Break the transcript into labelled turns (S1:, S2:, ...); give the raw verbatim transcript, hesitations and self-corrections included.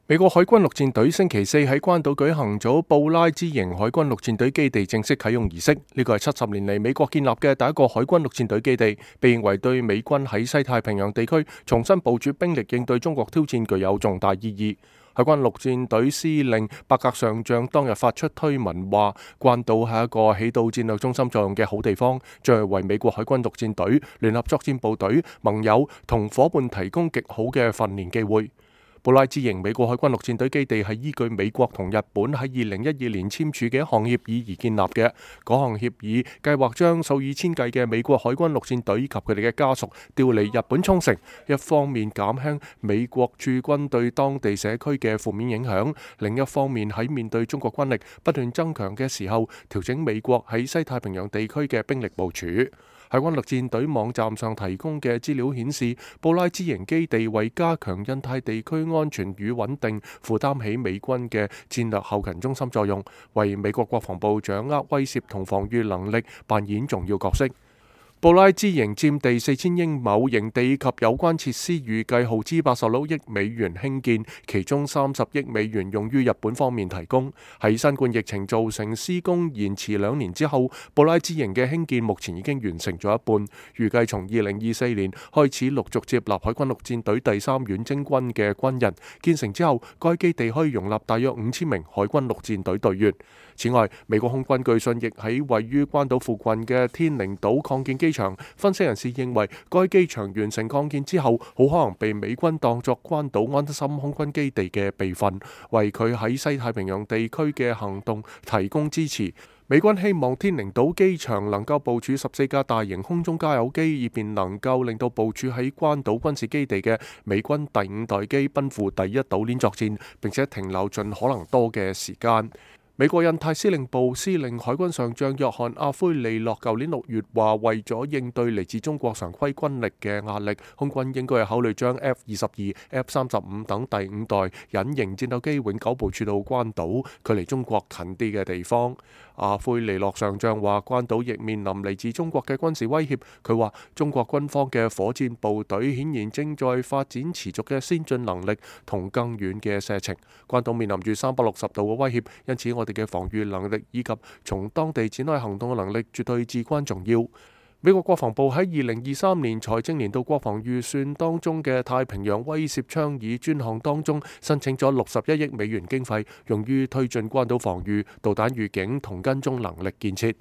S1: 美國海軍陸戰隊星期四喺關島舉行咗布拉茲營海軍陸戰隊基地正式啟用儀式。呢個係七十年嚟美國建立嘅第一個海軍陸戰隊基地，被認為對美軍喺西太平洋地區重新部署兵力應對中國挑戰具有重大意義。海軍陸戰隊司令伯格上將當日發出推文話，關島係一個起到戰略中心作用嘅好地方，將係為美國海軍陸戰隊、聯合作戰部隊、盟友同伙伴提供極好嘅訓練機會。布拉茲營美國海軍陸戰隊基地係依據美國同日本喺二零一二年簽署嘅一項協議而建立嘅。嗰項協議計劃將數以千計嘅美國海軍陸戰隊及佢哋嘅家屬調離日本沖繩，一方面減輕美國駐軍對當地社區嘅負面影響，另一方面喺面對中國軍力不斷增強嘅時候，調整美國喺西太平洋地區嘅兵力部署。海軍陸戰隊網站上提供嘅資料顯示，布拉茲營基地為加強印太地區安全與穩定，負擔起美軍嘅戰略後勤中心作用，為美國國防部掌握威懾同防禦能力扮演重要角色。布拉茲營佔地四千英畝，營地及有關設施預計耗資八十六億美元興建，其中三十億美元用於日本方面提供。喺新冠疫情造成施工延遲兩年之後，布拉茲營嘅興建目前已經完成咗一半，預計從二零二四年開始陸續接納海軍陸戰隊第三遠征軍嘅軍人。建成之後，該基地可以容納大約五千名海軍陸戰隊隊員。此外，美國空軍據信亦喺位於關島附近嘅天寧島擴建機場。分析人士認為，該機場完成擴建之後，好可能被美軍當作關島安心空軍基地嘅備份，為佢喺西太平洋地區嘅行動提供支持。美軍希望天寧島機場能夠部署十四架大型空中加油機，以便能夠令到部署喺關島軍事基地嘅美軍第五代機奔赴第一島鏈作戰，並且停留盡可能多嘅時間。美國印太司令部司令海軍上將約翰阿奎利諾舊年六月話，為咗應對嚟自中國常規軍力嘅壓力，空軍應該係考慮將 F 二十二、F 三十五等第五代隱形戰鬥機永久部署到關島，距離中國近啲嘅地方。阿奎利諾上將話，關島亦面臨嚟自中國嘅軍事威脅。佢話，中國軍方嘅火箭部隊顯然正在發展持續嘅先進能力同更遠嘅射程。關島面臨住三百六十度嘅威脅，因此我哋嘅防禦能力以及從當地展開行動嘅能力絕對至關重要。美國國防部喺二零二三年財政年度國防預算當中嘅太平洋威懾倡議專項當中，申請咗六十一億美元經費，用於推進關島防禦、導彈預警同跟蹤能力建設。